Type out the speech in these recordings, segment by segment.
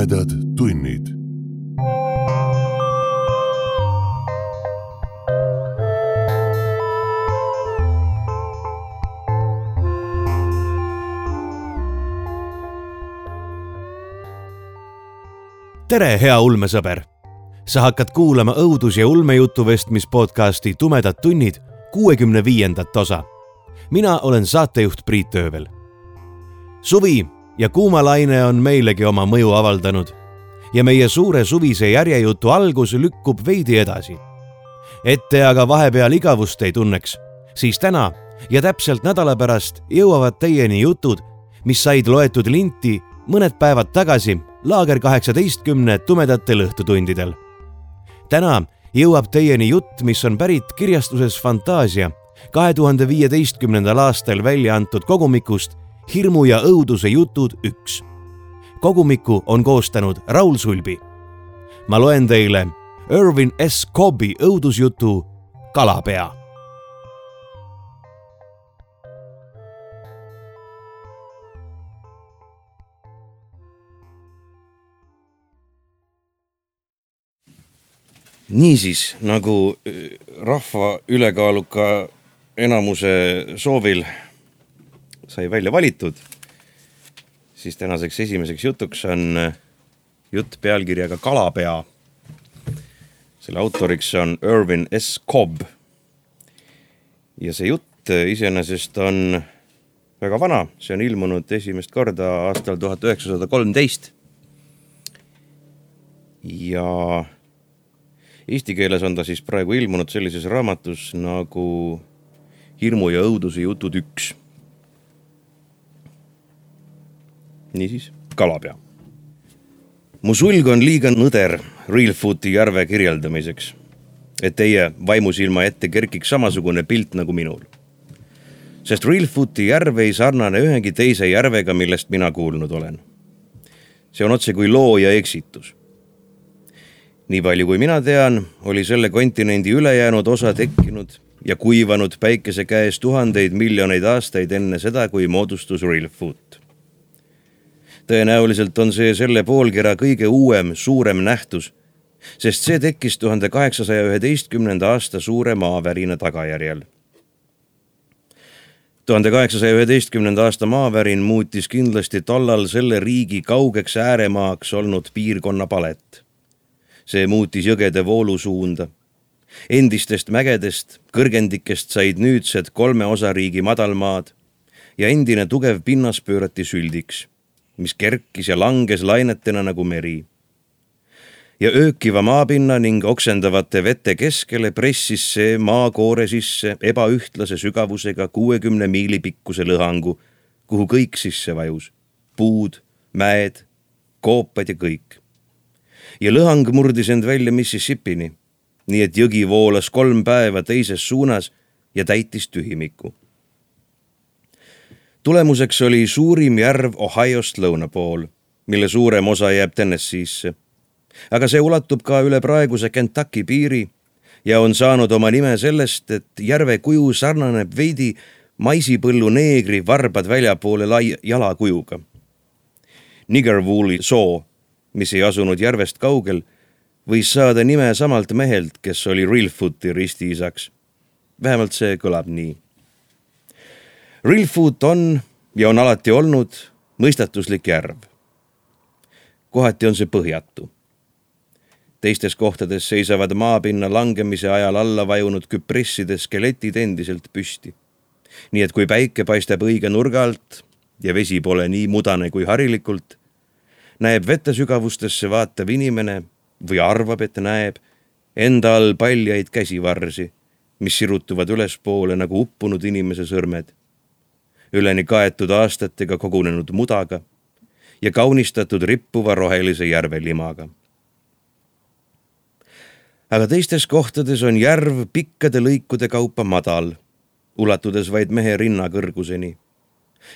tumedad tunnid. Tere, hea ulmesõber! Sa hakkad kuulama õudus- ja ulmejutuvestmispodcasti Tumedad tunnid 65. osa. Mina olen saatejuht Priit Öövel. Suvi ja kuumalaine on meilegi oma mõju avaldanud ja meie suure suvise järjejutu algus lükkub veidi edasi. Et te aga vahepeal igavust ei tunneks, siis täna ja täpselt nädala pärast jõuavad teieni jutud, mis said loetud linti mõned päevad tagasi Laager 18 tumedatel õhtutundidel. Täna jõuab teieni jutt, mis on pärit kirjastuses Fantaasia 2015. aastal välja antud kogumikust Hirmu ja õuduse jutud 1. Kogumiku on koostanud Raul Sulbi. Ma loen teile Irvin S. Cobbi õudusjutu Kalapea. Niisiis, nagu rahva ülekaaluka enamuse soovil sai välja valitud, siis tänaseks esimeseks jutuks on jutt pealkirjaga Kalapea. Selle autoriks on Irvin S. Cobb. Ja see jutt iseenesest on väga vana. See on ilmunud esimest korda aastal 1913. Ja eesti keeles on ta siis praegu ilmunud sellises raamatus nagu Hirmu ja õuduse jutud 1. Niisiis, Kalapea. Mu sulg on liiga nõder Reelfooti järve kirjeldamiseks, et teie vaimusilma ette kerkiks samasugune pilt nagu minul. Sest Reelfooti järv ei sarnane ühegi teise järvega, millest mina kuulnud olen. See on otse kui loo ja eksitus. Nii palju kui mina tean, oli selle kontinendi ülejäänud osa tekkinud ja kuivanud päikese käes tuhandeid miljoneid aastaid enne seda, kui moodustus Reelfoot. Tõenäoliselt on see selle poolkera kõige uuem, suurem nähtus, sest see tekkis 1811. aasta suure maavärina tagajärjel. 1811. aasta maavärin muutis kindlasti tollal selle riigi kaugeks ääremaaks olnud piirkonna palet. See muutis jõgede voolusuunda. Endistest mägedest, kõrgendikest said nüüdsed 3 osariigi madalmaad ja endine tugev pinnas pöörati süldiks, mis kerkis ja langes lainetena nagu meri. Ja öökiva maapinna ning oksendavate vete keskele pressis see maakoore sisse ebaühtlase sügavusega 60 miili pikkuse lõhangu, kuhu kõik sisse vajus. Puud, mäed, koopad ja kõik. Ja lõhang murdis end välja Mississippini, nii et jõgi voolas 3 päeva teises suunas ja täitis tühimiku. Tulemuseks oli suurim järv Ohiost lõuna pool, mille suurem osa jääb Tennesseesse. Aga see ulatub ka üle praeguse Kentucky piiri ja on saanud oma nime sellest, et järve kuju sarnaneb veidi maisipõllu neegri varbad väljapoole jalakujuga. Niggerwooli soo, mis ei asunud järvest kaugel, võis saada nime samalt mehelt, kes oli Reelfooti ristiisaks. Vähemalt see kõlab nii. Reelfoot on ja on alati olnud mõistatuslik järv. Kohati on see põhjatu. Teistes kohtades seisavad maapinna langemise ajal alla vajunud küpresside skeletid endiselt püsti. Nii et kui päike paistab õige nurga alt ja vesi pole nii mudane kui harilikult, näeb vette sügavustesse vaatav inimene või arvab, et näeb enda all paljaid käsivarsi, mis sirutuvad ülespoole nagu uppunud inimese sõrmed, üleni kaetud aastatega kogunenud mudaga ja kaunistatud rippuva rohelise järvelimaga. Aga teistes kohtades on järv pikkade lõikude kaupa madal, ulatudes vaid mehe rinna kõrguseni,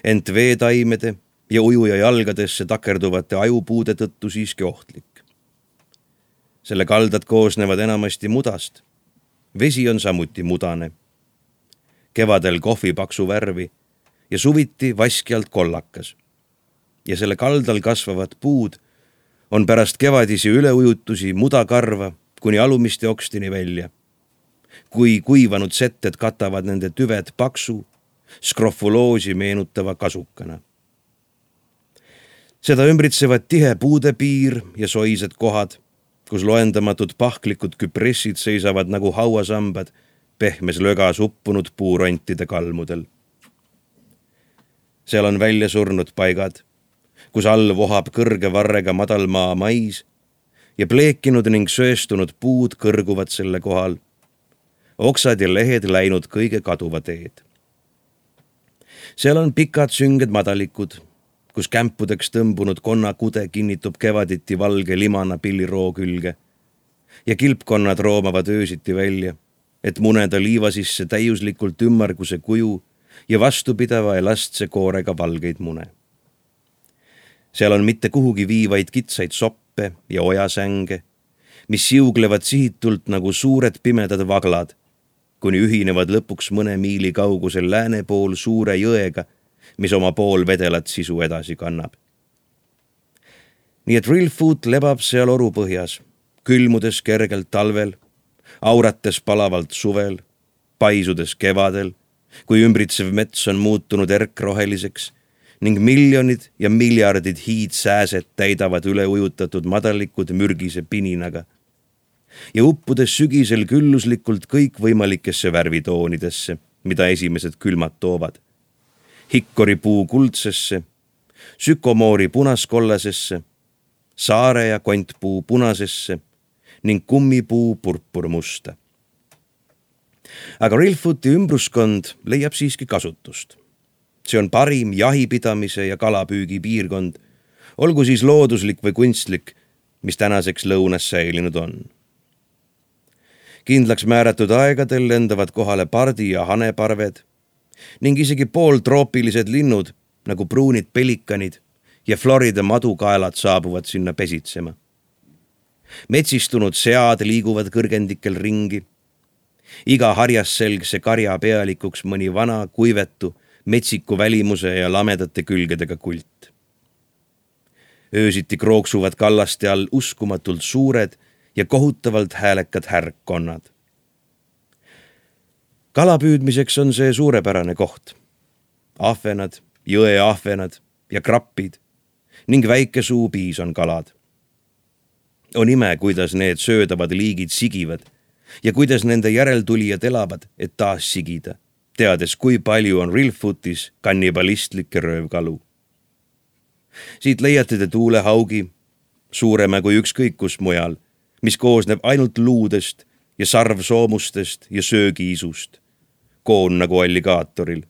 ent veetaimede ja ujuja jalgadesse takerduvate ajupuude tõttu siiski ohtlik. Selle kaldad koosnevad enamasti mudast. Vesi on samuti mudane. Kevadel kohvipaksu värvi ja suviti vaskjalt kollakas. Ja selle kaldal kasvavad puud on pärast kevadisi üleujutusi mudakarva kuni alumiste okstini välja. Kui kuivanud setted katavad nende tüved paksu, skrofuloosi meenutava kasukana. Seda ümbritsevad tihe puudepiir ja soised kohad, kus loendamatud pahklikud küpressid seisavad nagu hauasambad pehmes lögas uppunud puurontide kalmudel. Seal on välja surnud paigad, kus all vohab kõrge varrega madalmaa mais ja pleekinud ning söestunud puud kõrguvad selle kohal. Oksad ja lehed läinud kõige kaduva teed. Seal on pikad sünged madalikud, kus kämpudeks tõmbunud konnakude kinnitub kevaditi valge limana pilliroo külge ja kilpkonnad roomavad öösiti välja, et muneda liiva sisse täiuslikult ümmarguse kuju ja vastupidava elastse koorega valgeid mune. Seal on mitte kuhugi viivaid kitsaid soppe ja ojasänge, mis siuglevad sihitult nagu suured pimedad vaglad, kuni ühinevad lõpuks mõne miili kaugusel lääne pool suure jõega, mis oma pool vedelat sisu edasi kannab. Nii et Rillfoot lebab seal orupõhjas, külmudes kergelt talvel, aurates palavalt suvel, paisudes kevadel, kui ümbritsev mets on muutunud erkroheliseks ning miljonid ja miljardid hiidsääsed täidavad üleujutatud madalikud mürgise pininaga ja uppudes sügisel külluslikult kõikvõimalikesse värvitoonidesse, mida esimesed külmad toovad. Hikkoripuu kuldsesse, sükomoori punaskollasesse, saare ja kontpuu punasesse ning kummipuu purpurmusta. Aga Rillfooti ümbruskond leiab siiski kasutust. See on parim jahipidamise ja kalapüügi piirkond, olgu siis looduslik või kunstlik, mis tänaseks lõunas säilinud on. Kindlaks määratud aegadel lendavad kohale pardi ja haneparved ning isegi pooltroopilised linnud nagu pruunid pelikanid ja Florida madukaelad saabuvad sinna pesitsema. Metsistunud sead liiguvad kõrgendikel ringi. Iga harjasselgse karja pealikuks mõni vana, kuivetu, metsiku välimuse ja lamedate külgedega kult. Öösiti krooksuvad kallaste all uskumatult suured ja kohutavalt häälekad härkkonnad. Kalapüüdmiseks on see suurepärane koht. Ahvenad, jõeahvenad ja krappid ning väike suupiis on kalad. On ime, kuidas need söödavad liigid sigivad ja kuidas nende järeltulijad elavad, et taas sigida, teades, kui palju on Rillfootis kannibalistlikke röövkalu. Siit leiate te tuulehaugi, suurema kui ükskõik kus mujal, mis koosneb ainult luudest ja sarvsoomustest ja söögiisust, koon nagu alligaatoril.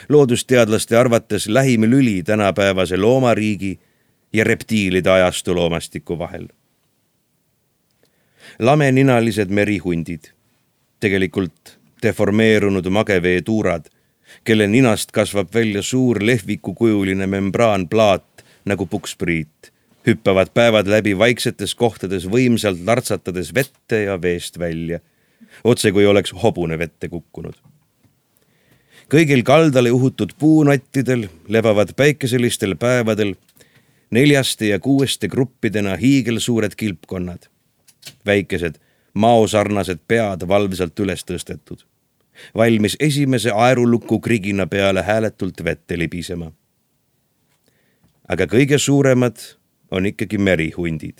Loodusteadlaste arvates lähim lüli tänapäevase loomariigi ja reptiilide ajastu loomastiku vahel. Lameninalised merihundid, tegelikult deformeerunud mageveetuurad, kelle ninast kasvab välja suur lehvikukujuline membraanplaat nagu pukspriit, hüppavad päevad läbi vaiksetes kohtades võimsalt lartsatades vette ja veest välja, otse kui oleks hobune vette kukkunud. Kõigil kaldale uhutud puunottidel lebavad päikeselistel päevadel 4 ja 6 gruppidena hiigelsuured kilpkonnad, väikesed maosarnased pead valvsalt üles tõstetud, valmis esimese aeruluku krigina peale hääletult vette libisema. Aga kõige suuremad on ikkagi merihundid.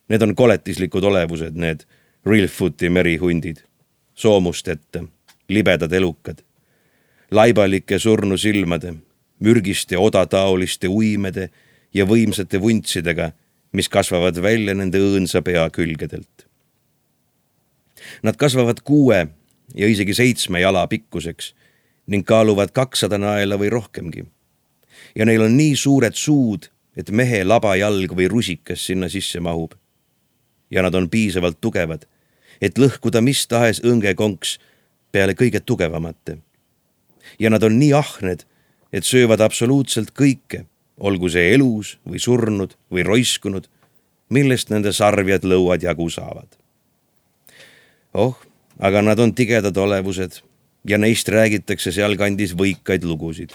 Need on koletislikud olevused, need Rillfooti merihundid, soomusteta, libedad elukad, laibalike surnu silmade, mürgiste odataoliste uimede ja võimsate vuntsidega, mis kasvavad välja nende õõnsa pea külgedelt. Nad kasvavad 6 ja isegi 7 jala pikkuseks ning kaaluvad 200 naela või rohkemgi. Ja neil on nii suured suud, et mehe labajalg või rusikas sinna sisse mahub. Ja nad on piisavalt tugevad, et lõhkuda mis tahes õngekonks peale kõige tugevamate. Ja nad on nii ahned, et söövad absoluutselt kõike, olgu see elus või surnud või roiskunud, millest nende sarvjad lõuad jagu saavad. Aga nad on tigedad olevused ja neist räägitakse sealkandis võikaid lugusid.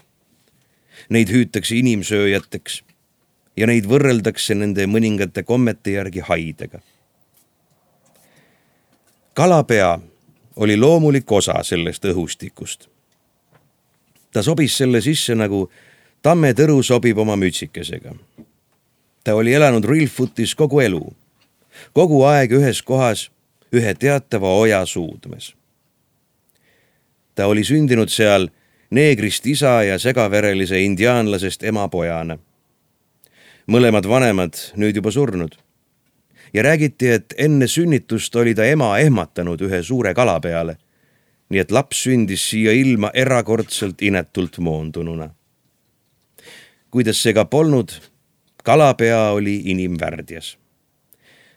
Neid hüütakse inimsööjateks ja neid võrreldakse nende mõningate kommete järgi haidega. Kalapea oli loomulik osa sellest õhustikust. Ta sobis selle sisse nagu tammetõru sobib oma mütsikesega. Ta oli elanud Reelfootis kogu elu, kogu aeg ühes kohas, ühe teatava oja suudmes. Ta oli sündinud seal neegrist isa ja segaverelise indiaanlasest ema pojana. Mõlemad vanemad nüüd juba surnud. Ja räägiti, et enne sünnitust oli ta ema ehmatanud ühe suure kala peale, nii et laps sündis siia ilma erakordselt inetult moondununa. Kuidas see ka polnud, kalapea oli inimvärdjas.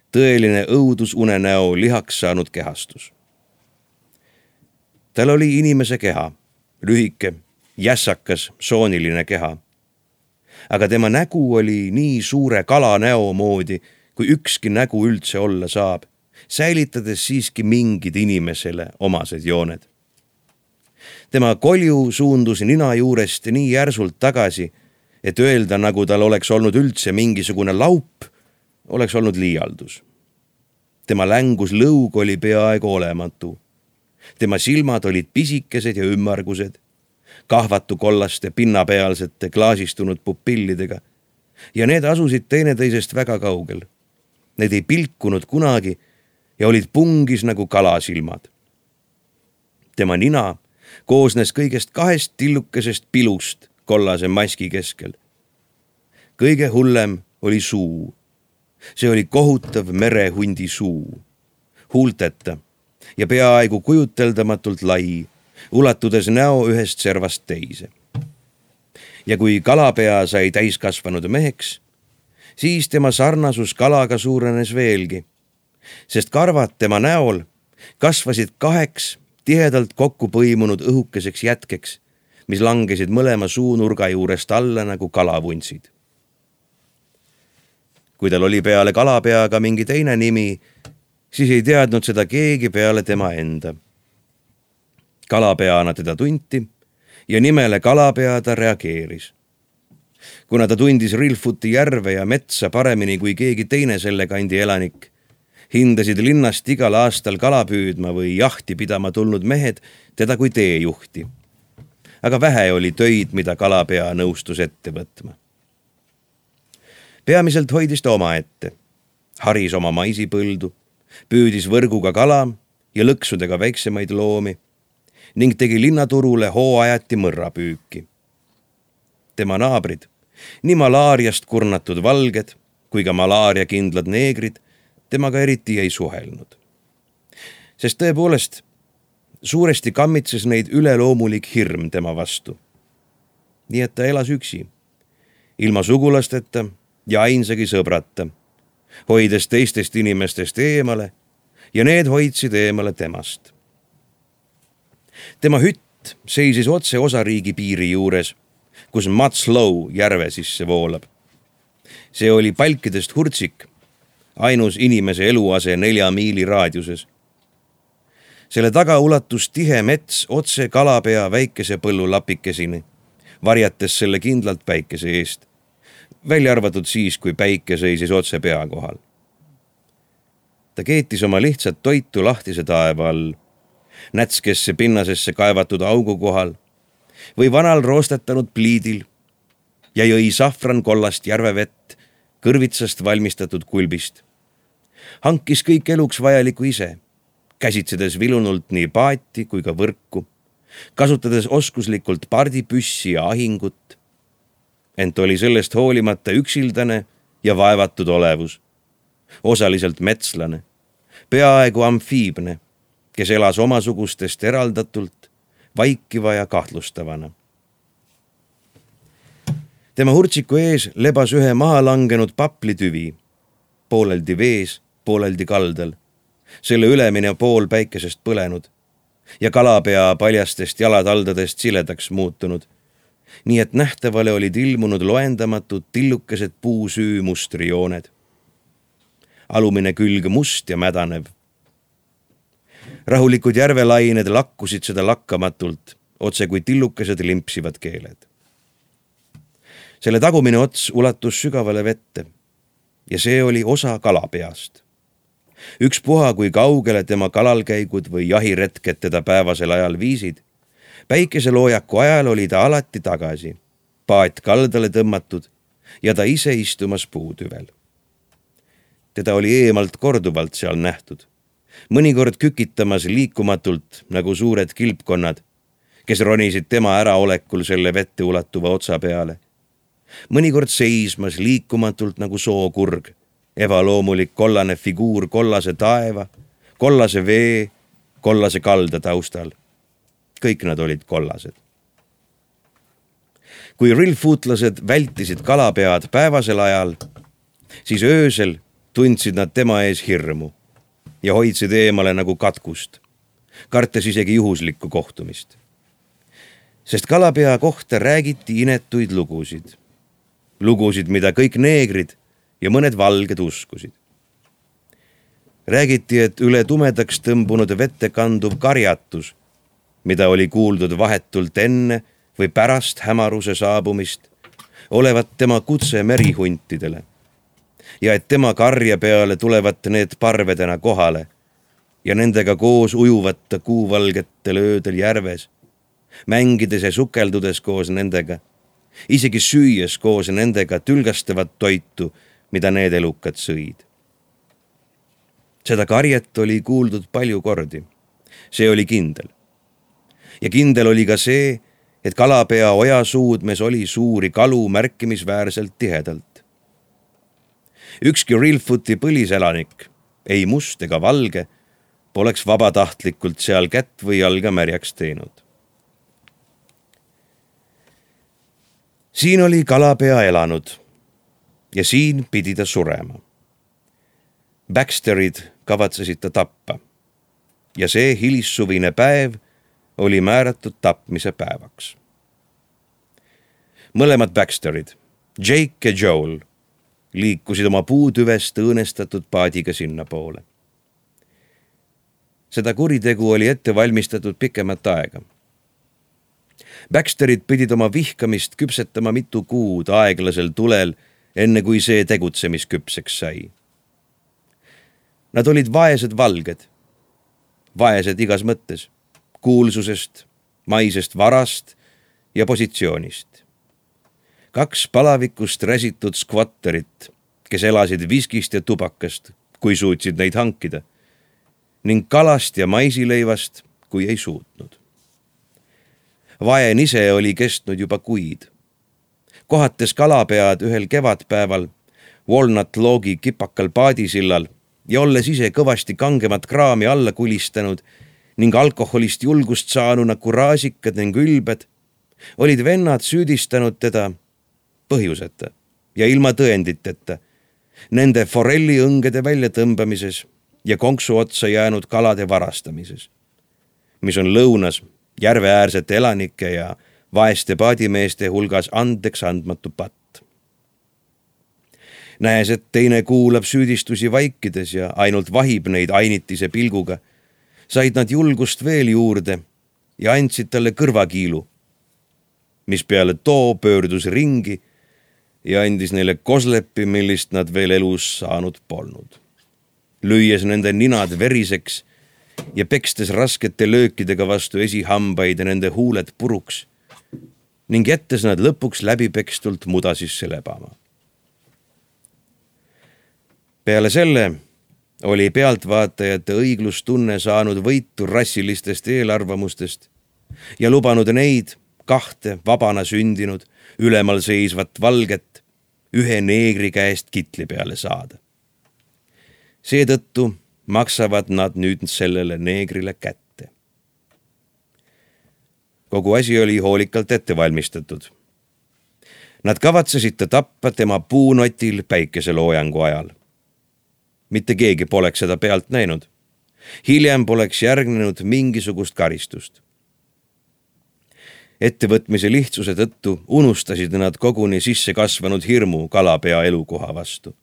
Tõeline õudusunenäo lihaks saanud kehastus. Tal oli inimese keha, lühike, jässakas, sooniline keha. Aga tema nägu oli nii suure kalanäo moodi, kui ükski nägu üldse olla saab, säilitades siiski mingid inimesele omased jooned. Tema kolju suundus nina juurest nii järsult tagasi, et öelda, nagu tal oleks olnud üldse mingisugune laup, oleks olnud liialdus. Tema längus lõug oli peaaegu olematu. Tema silmad olid pisikesed ja ümmargused, kahvatu kollaste pinnapealsete klaasistunud pupillidega ja need asusid teineteisest väga kaugel. Need ei pilkunud kunagi ja olid pungis nagu kalasilmad. Tema nina koosnes kõigest 2 tillukesest pilust kollase maski keskel. Kõige hullem oli suu. See oli kohutav merehundi suu, huulteta ja peaaegu kujuteldamatult lai, ulatudes näo ühest servast teise. Ja kui kalapea sai täiskasvanud meheks, siis tema sarnasus kalaga suurenes veelgi, sest karvad tema näol kasvasid 2 tihedalt kokku põimunud õhukeseks jätkeks, mis langesid mõlema suunurga juurest alla nagu kalavunsid. Kui tal oli peale kalapeaga mingi teine nimi, siis ei teadnud seda keegi peale tema enda. Kalapeana teda tunti ja nimele kalapea ta reageeris. Kuna ta tundis Reelfooti järve ja metsa paremini kui keegi teine selle kandi elanik, hindasid linnast igal aastal kala püüdma või jahti pidama tulnud mehed teda kui teejuhti. Aga vähe oli töid, mida kalapea nõustus ette võtma. Peamiselt hoidis ta oma ette, haris oma maisipõldu, püüdis võrguga kala ja lõksudega väiksemaid loomi ning tegi linnaturule hooajati mõrrapüüki. Tema naabrid, nii malaariast kurnatud valged kui ka malaariakindlad neegrid, temaga eriti ei suhelnud. Sest tõepoolest, suuresti kammitses neid üleloomulik hirm tema vastu. Nii et ta elas üksi, ilma sugulasteta ja ainsagi sõbrata, hoides teistest inimestest eemale ja need hoidsid eemale temast. Tema hütt seisis otse osariigi piiri juures, kus Matslow järve sisse voolab. See oli palkidest hurtsik, ainus inimese eluase 4 miili raadiuses. Selle taga ulatus tihe mets otse kalapea väikese põllu lapikesini, varjates selle kindlalt päikese eest, välja arvatud siis, kui päike seisis otse pea kohal. Ta keetis oma lihtsat toitu lahtise taeva all, nätskesse pinnasesse kaevatud augu kohal või vanal roostetanud pliidil ja jõi safran kollast järvevett kõrvitsast valmistatud kulbist. Hankis kõik eluks vajaliku ise, käsitsedes vilunult nii paati kui ka võrku, kasutades oskuslikult pardipüssi ja ahingut, ent oli sellest hoolimata üksildane ja vaevatud olevus, osaliselt metslane, peaaegu amfiibne, kes elas omasugustest eraldatult, vaikiva ja kahtlustavana. Tema hurtsiku ees lebas ühe maha langenud paplitüvi, pooleldi vees, pooleldi kaldal, selle ülemine pool päikesest põlenud ja kalapea paljastest jalataldadest siledaks muutunud, nii et nähtavale olid ilmunud loendamatud tillukesed puusüü mustrijooned. Alumine külg must ja mädanev. Rahulikud järvelained lakkusid seda lakkamatult, otse kui tillukesed limpsivad keeled. selle tagumine ots ulatus sügavale vette ja see oli osa kalapeast. Ükspuha, kui kaugele tema kalalkäigud või jahiretked teda päevasel ajal viisid, päikeseloojaku ajal oli ta alati tagasi, paat kaldale tõmmatud ja ta ise istumas puutüvel. Teda oli eemalt korduvalt seal nähtud, mõnikord kükitamas liikumatult nagu suured kilpkonnad, kes ronisid tema äraolekul selle vette ulatuva otsa peale. Mõnikord seismas liikumatult nagu sookurg, ebaloomulik kollane figuur kollase taeva, kollase vee, kollase kalda taustal. Kõik nad olid kollased. Kui rillfootlased vältisid kalapead päevasel ajal, siis öösel tundsid nad tema ees hirmu ja hoidsid eemale nagu katkust, kartes isegi juhuslikku kohtumist. Sest kalapea kohta räägiti inetuid lugusid. Lugusid, mida kõik neegrid ja mõned valged uskusid. Räägiti, et üle tumedaks tõmbunud vette kanduv karjatus, mida oli kuuldud vahetult enne või pärast hämaruse saabumist, olevat tema kutse merihuntidele ja et tema karja peale tulevat need parvedena kohale ja nendega koos ujuvat kuuvalgetel öödel järves, mängides ja sukeldudes koos nendega, isegi süües koos nendega tülgastavat toitu, mida need elukad sõid. Seda karjet oli kuuldud palju kordi. See oli kindel. Ja kindel oli ka see, et kalapea oja suudmes oli suuri kalu märkimisväärselt tihedalt. Ükski Reelfooti põliselanik, ei must ega valge, poleks vabatahtlikult seal kätt või jalga märjaks teinud. Siin oli kalapea elanud ja siin pidi ta surema. Baxterid kavatsesid ta tappa ja see hilissuvine päev oli määratud tapmise päevaks. Mõlemad Baxterid, Jake ja Joel, liikusid oma puutüvest õõnestatud paadiga sinna poole. Seda kuritegu oli ette valmistatud pikemat aega. Baxterid pidid oma vihkamist küpsetama mitu kuud aeglasel tulel, enne kui see tegutsemisküpseks sai. Nad olid vaesed valged, vaesed igas mõttes, kuulsusest, maisest varast ja positsioonist. 2 palavikust räsitud skvatterit, kes elasid viskist ja tubakast, kui suutsid neid hankida, ning kalast ja maisileivast, kui ei suutnud. Vaen ise oli kestnud juba kuid. Kohates kalapead ühel kevadpäeval Walnut Logi kipakal paadisillal ja olles ise kõvasti kangemat kraami alla kulistanud ning alkoholist julgust saanuna kuraasikad ning ülbed, olid vennad süüdistanud teda põhjuseta ja ilma tõenditeta nende forelli õngede väljatõmbamises ja konksu otsa jäänud kalade varastamises, mis on lõunas järveäärsete elanike ja vaeste paadimeeste hulgas andeks andmatu patt. Näes, et teine kuulab süüdistusi vaikides ja ainult vahib neid ainitise pilguga, said nad julgust veel juurde ja andsid talle kõrvakiilu, mis peale too pöördus ringi ja andis neile koslepi, millist nad veel elus saanud polnud. Lüües nende ninad veriseks ja pekstes raskete löökidega vastu esihambaid ja nende huuled puruks ning jättes nad lõpuks läbipekstult muda sisse lebama. Peale selle oli pealtvaatajate õiglustunne saanud võitu rassilistest eelarvamustest ja lubanud neid 2 vabana sündinud ülemal seisvat valget ühe neegri käest kitli peale saada. Seetõttu maksavad nad nüüd sellele neegrile kätte. Kogu asi oli hoolikalt ette valmistatud. Nad kavatsesid ta tappa tema puunotil päikeseloojangu ajal. Mitte keegi poleks seda pealt näinud. Hiljem poleks järgnenud mingisugust karistust. Ettevõtmise lihtsuse tõttu unustasid nad koguni sisse kasvanud hirmu kalapea elukoha vastu.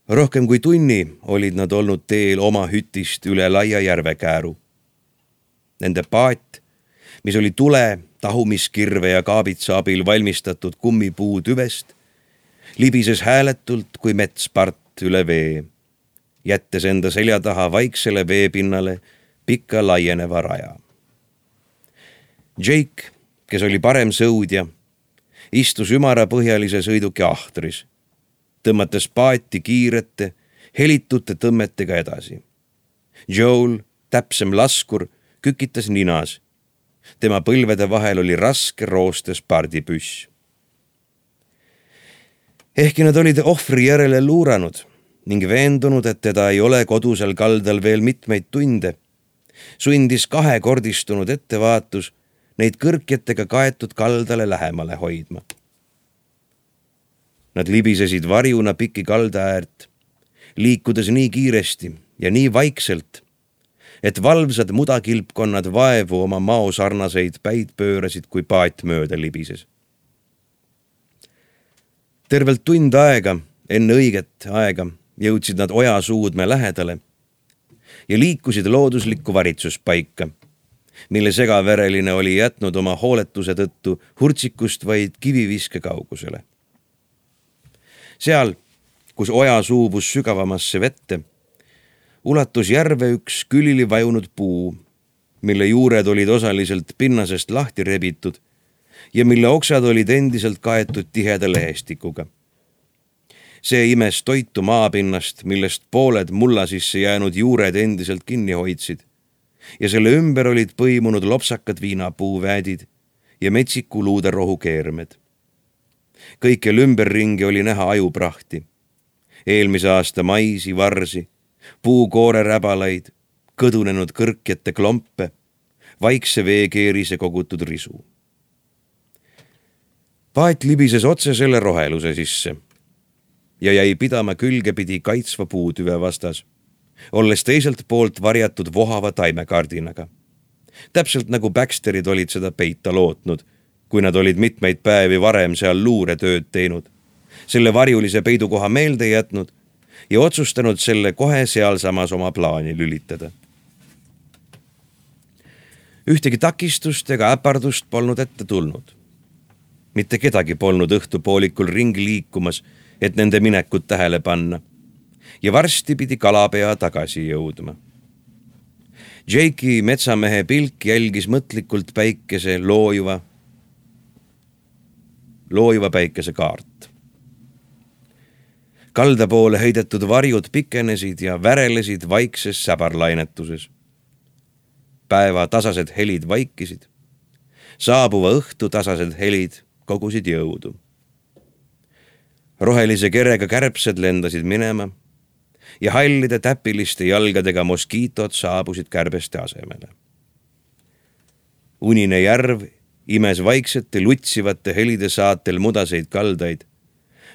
Rohkem kui tunni olid nad olnud teel oma hütist üle laia järvekääru. Nende paat, mis oli tule, tahumiskirve ja kaabitsa abil valmistatud kummipuu tüvest, libises hääletult kui metspart üle vee, jättes enda selja taha vaiksele veepinnale pikka laieneva raja. Jake, kes oli parem sõudja, istus ümarapõhjalise sõiduki ahtris, tõmmates paati kiirete, helitute tõmmetega edasi. Joel, täpsem laskur, kükitas ninas. Tema põlvede vahel oli raske roostes pardipüss. Ehkki nad olid ohvri järele luuranud ning veendunud, et teda ei ole kodusel kaldal veel mitmeid tunde, sundis kahekordistunud ettevaatus neid kõrkjetega kaetud kaldale lähemale hoidma. Nad libisesid varjuna piki kalda äärt, liikudes nii kiiresti ja nii vaikselt, et valvsad mudakilpkonnad vaevu oma maosarnaseid päid pöörasid, kui paat mööda libises. Tervelt tund aega, enne õiget aega, jõudsid nad ojasuudme lähedale ja liikusid looduslikku varitsuspaika, mille segavereline oli jätnud oma hooletuse tõttu hurtsikust vaid kiviviske kaugusele. Seal, kus oja suubus sügavamasse vette, ulatus järve üks külili vajunud puu, mille juured olid osaliselt pinnasest lahti rebitud ja mille oksad olid endiselt kaetud tiheda lehestikuga. See imes toitu maapinnast, millest pooled mulla sisse jäänud juured endiselt kinni hoidsid ja selle ümber olid põimunud lopsakad viinapuuväädid ja metsiku luuderohu keermed. Kõikjal ümberringi oli näha ajuprahti, eelmise aasta maisi, varsi, puukooreräbalaid, kõdunenud kõrkjate klompe, vaikse veekeerise kogutud risu. Paat libises otse selle roheluse sisse ja jäi pidama külgepidi kaitsva puutüve vastas, olles teiselt poolt varjatud vohava taimekardinaga. Täpselt nagu Baxterid olid seda peita lootnud, kui nad olid mitmeid päevi varem seal luuretööd teinud, selle varjulise peidukoha meelde jätnud ja otsustanud selle kohe sealsamas oma plaani lülitada. Ühtegi takistust ega äpardust polnud ette tulnud. Mitte kedagi polnud õhtupoolikul ringi liikumas, et nende minekut tähele panna ja varsti pidi kalapea tagasi jõudma. Jake'i metsamehe pilk jälgis mõtlikult päikese loojuva päikese kaart. Kalda poole heidetud varjud pikenesid ja värelesid vaikses säbarlainetuses. Päeva tasased helid vaikisid. Saabuva õhtu tasased helid kogusid jõudu. Rohelise kerega kärbsed lendasid minema ja hallide täpiliste jalgadega moskiitod saabusid kärbeste asemele. Unine järv imes vaiksete lutsivate helide saatel mudaseid kaldaid,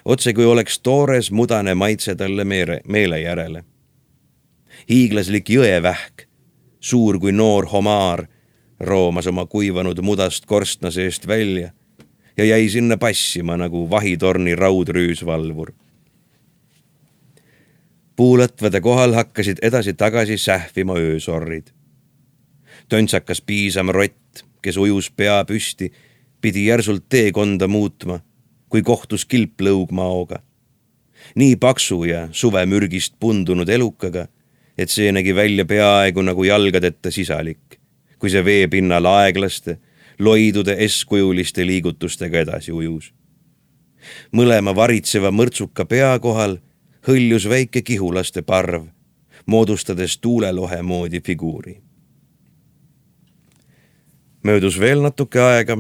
otse kui oleks toores mudane maitse talle meele järele. Hiiglaslik jõevähk, suur kui noor homaar, roomas oma kuivanud mudast korstna seest välja ja jäi sinna passima nagu vahitorni raudrüüsvalvur. Puulatvade kohal hakkasid edasi-tagasi sähvima öösorrid. Töntsakas piisam rott, kes ujus pea püsti, pidi järsult teekonda muutma, kui kohtus kilplõugmaoga. Nii paksu ja suvemürgist pundunud elukaga, et see nägi välja peaaegu nagu jalgadeta sisalik, kui see veepinnal aeglaste, loidude eskujuliste liigutustega edasi ujus. Mõlema varitseva mõrtsuka pea kohal hõljus väike kihulaste parv, moodustades tuulelohe moodi figuuri. Möödus veel natuke aega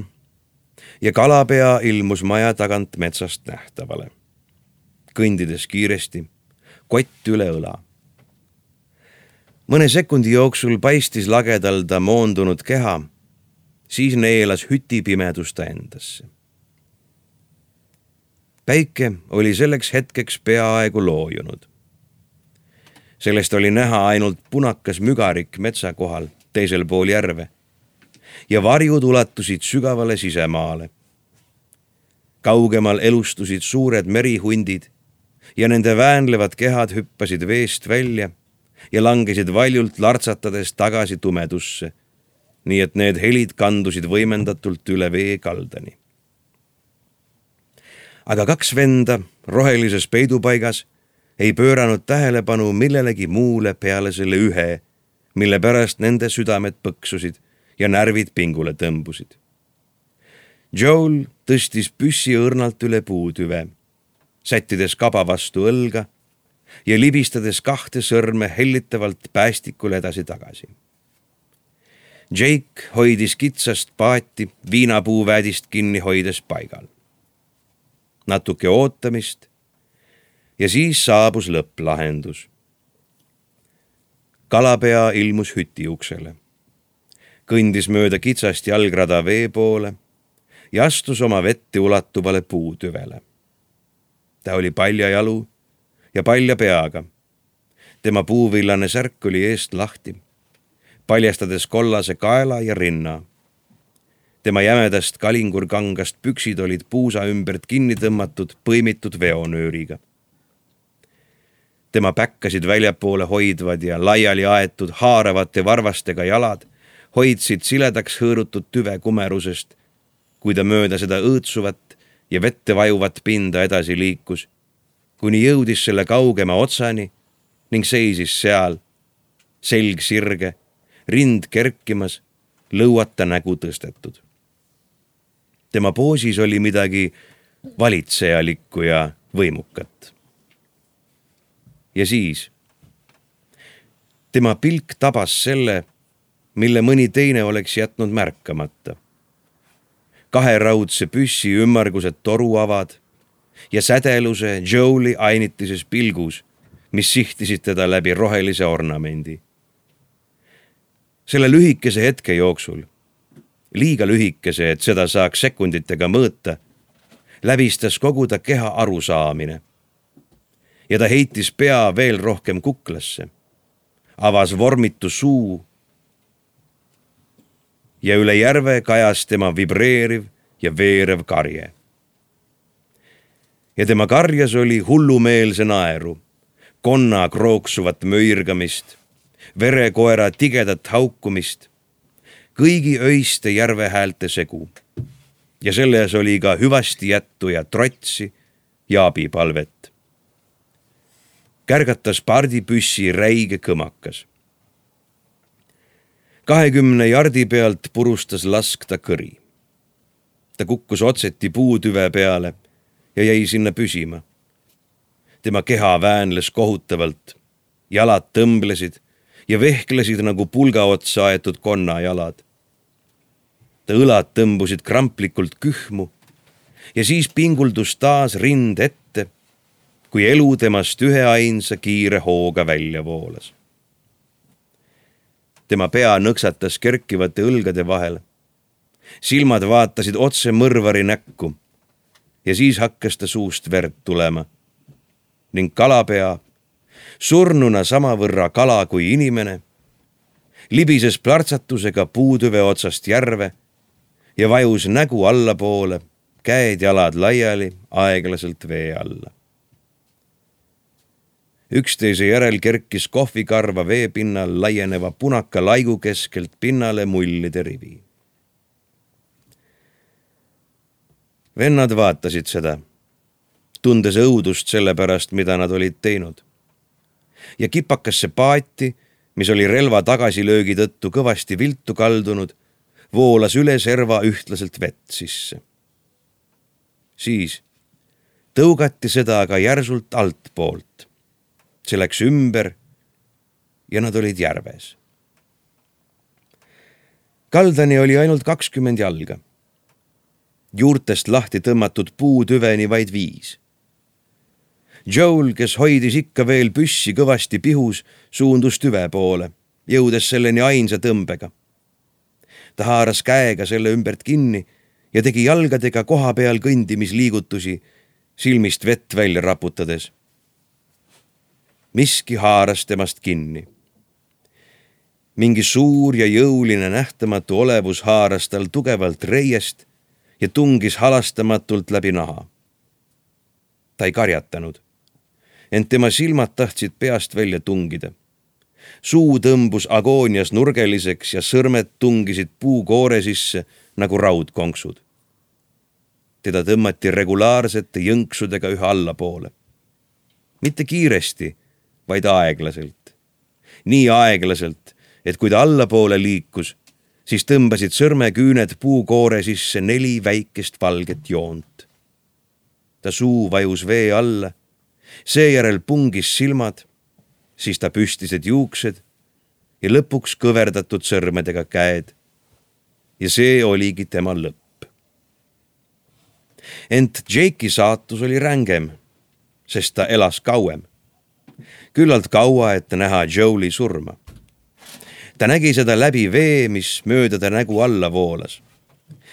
ja kalapea ilmus maja tagant metsast nähtavale. Kõndides kiiresti, kott üle õla. Mõne sekundi jooksul paistis lagedal ta moondunud keha, siis neelas hüti pimedusta endasse. Päike oli selleks hetkeks peaaegu loojunud. Sellest oli näha ainult punakas mügarik metsa kohal teisel pool järve ja varjud ulatusid sügavale sisemaale. Kaugemal elustusid suured merihundid ja nende väänlevad kehad hüppasid veest välja ja langesid valjult lartsatades tagasi tumedusse, nii et need helid kandusid võimendatult üle vee kaldani. Aga 2 venda rohelises peidupaigas ei pööranud tähelepanu millelegi muule peale selle ühe, mille pärast nende südamed põksusid ja närvid pingule tõmbusid. Joel tõstis püssi õrnalt üle puutüve, sättides kaba vastu õlga ja libistades 2 sõrme hellitavalt päästikule edasi-tagasi. Jake hoidis kitsast paati viinapuuväedist kinni hoides paigal. Natuke ootamist ja siis saabus lõpplahendus. Kalapea ilmus hüti uksele, kõndis mööda kitsast jalgrada vee poole ja astus oma vette ulatuvale puutüvele. Ta oli paljajalu ja palja peaga. Tema puuvillane särk oli eest lahti, paljastades kollase kaela ja rinna. Tema jämedast kalingurkangast püksid olid puusa ümbert kinni tõmmatud põimitud veonööriga. Tema päkkasid väljapoole hoidvad ja laiali aetud haaravate varvastega jalad hoidsid siledaks hõõrutud tüve kumerusest, kui ta mööda seda õõtsuvat ja vette vajuvat pinda edasi liikus, kuni jõudis selle kaugema otsani ning seisis seal, selg sirge, rind kerkimas, lõuata nägu tõstetud. Tema poosis oli midagi valitsejalikku ja võimukat. Ja siis tema pilk tabas selle, mille mõni teine oleks jätnud märkamata. 2 raudse püssi ümmargused toruavad ja sädeluse Joeli ainitises pilgus, mis sihtisid teda läbi rohelise ornamendi. Selle lühikese hetke jooksul, liiga lühikese, et seda saaks sekunditega mõõta, läbistas kogu ta keha arusaamine. Ja ta heitis pea veel rohkem kuklasse, avas vormitu suu ja üle järve kajas tema vibreeriv ja veerev karje. Ja tema karjas oli hullumeelse naeru, konna krooksuvat möirgamist, verekoera tigedat haukumist, kõigi öiste järvehäälte segu. Ja selles oli ka hüvasti jättu ja trotsi ja abipalvet. Kärgatas pardipüssi räige kõmakas. 20 jardi pealt purustas lask ta kõri. Ta kukkus otseti puutüve peale ja jäi sinna püsima. Tema keha väänles kohutavalt, jalad tõmblesid ja vehklesid nagu pulga otsa aetud konnajalad. Ta õlad tõmbusid kramplikult kühmu ja siis pinguldus taas rind ette, kui elu temast üheainsa kiire hooga välja voolas. Tema pea nõksatas kerkivate õlgade vahel. Silmad vaatasid otse mõrvari näkku ja siis hakkas ta suust verd tulema. Ning kalapea, surnuna samavõrra kala kui inimene, libises plärtsatusega puutüve otsast järve ja vajus nägu allapoole, käed-jalad laiali, aeglaselt vee alla. Üksteise järel kerkis kohvikarva veepinnal laieneva punaka laigu keskelt pinnale mullide rivi. Vennad vaatasid seda, tundes õudust selle pärast, mida nad olid teinud. Ja kipakasse paati, mis oli relva tagasilöögi tõttu kõvasti viltu kaldunud, voolas üle serva ühtlaselt vett sisse. Siis tõugati seda aga järsult altpoolt. See läks ümber ja nad olid järves. Kaldani oli ainult 20 jalga. Juurtest lahti tõmmatud puutüveni vaid 5. Joel, kes hoidis ikka veel püssi kõvasti pihus, suundus tüve poole, jõudes selleni ainsa tõmbega. Ta haaras käega selle ümbert kinni ja tegi jalgadega koha peal kõndimisliigutusi, silmist vett välja raputades. Miski haaras temast kinni. Mingi suur ja jõuline nähtamatu olevus haaras tal tugevalt reiest ja tungis halastamatult läbi naha. Ta ei karjatanud, ent tema silmad tahtsid peast välja tungida. Suu tõmbus agoonias nurgeliseks ja sõrmed tungisid puukoore sisse nagu raudkonksud. Teda tõmmati regulaarsete jõnksudega üha allapoole. Mitte kiiresti, vaid aeglaselt. Nii aeglaselt, et kui ta allapoole liikus, siis tõmbasid sõrmeküüned puukoore sisse 4 väikest valget joont. Ta suu vajus vee alla, seejärel pungis silmad, siis ta püstised juuksed ja lõpuks kõverdatud sõrmedega käed. Ja see oligi tema lõpp. Ent Jake'i saatus oli rängem, sest ta elas kauem. Küllalt kaua, et näha Joeli surma. Ta nägi seda läbi vee, mis mööda ta nägu alla voolas.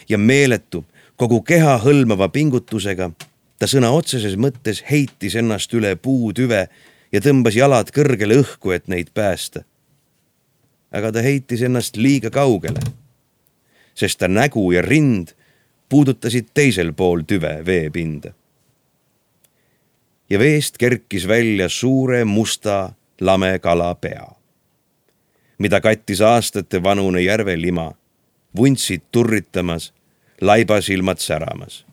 Ja meeletu, kogu keha hõlmava pingutusega ta sõna otseses mõttes heitis ennast üle puutüve ja tõmbas jalad kõrgele õhku, et neid päästa. Aga ta heitis ennast liiga kaugele, sest ta nägu ja rind puudutasid teisel pool tüve veepinda. Ja veest kerkis välja suure musta lame kala pea, mida kattis aastate vanune järvelima, vuntsid turritamas, laibasilmad säramas.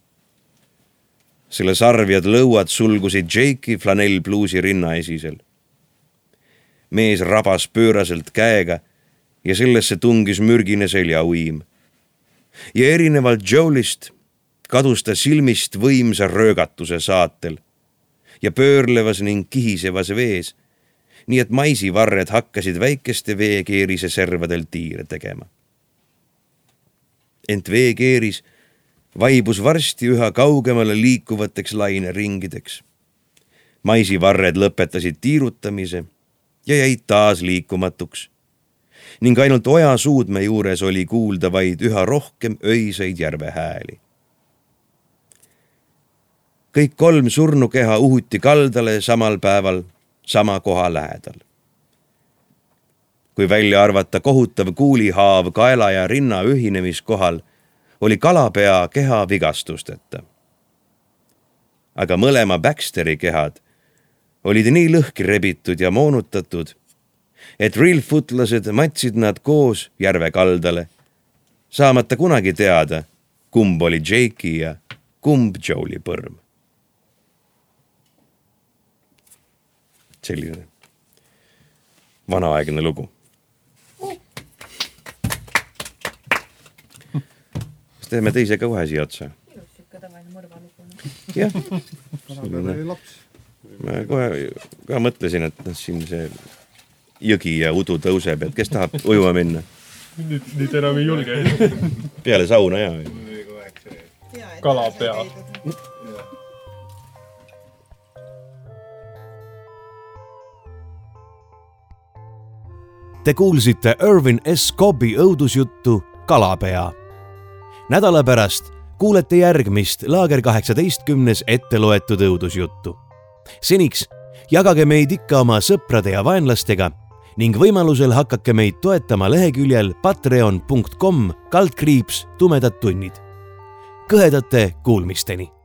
Selle sarvjad lõuad sulgusid Jake'i flanellpluusi rinnaesisel. Mees rabas pööraselt käega ja sellesse tungis mürgine seljauim. Ja erinevalt Joelist kadus ta silmist võimsa röögatuse saatel ja pöörlevas ning kihisevas vees, nii et maisivarred hakkasid väikeste veekeerise servadel tiire tegema. Ent veekeeris vaibus varsti üha kaugemale liikuvateks laineringideks. Maisivarred lõpetasid tiirutamise ja jäid taas liikumatuks. Ning ainult oja suudme juures oli kuulda vaid üha rohkem öiseid järvehääli. Kõik 3 surnukeha uhuti kaldale samal päeval sama koha lähedal. Kui välja arvata kohutav kuulihaav kaela ja rinna ühinemiskohal, oli kalapea keha vigastusteta. Aga mõlema Baxteri kehad olid nii lõhki rebitud ja moonutatud, et Reelfootlased matsid nad koos järve kaldale, saamata kunagi teada, kumb oli Jake'i ja kumb Joeli põrm. Selline vanaaegne lugu. Kas teeme teise ka kohe siia otsa? Jah. Ma kohe ka mõtlesin, et siin see jõgi ja udu tõuseb, et kes tahab ujuma minna? Nüüd enam ei julge. Peale sauna ja. Kalapea. Te kuulsite Irvin S. Cobbi õudusjuttu Kalapea. Nädala pärast kuulete järgmist Laager 18 ette loetud õudusjuttu. Seniks jagage meid ikka oma sõprade ja vaenlastega ning võimalusel hakake meid toetama leheküljel patreon.com/tumedad tunnid. Kõhedate kuulmisteni!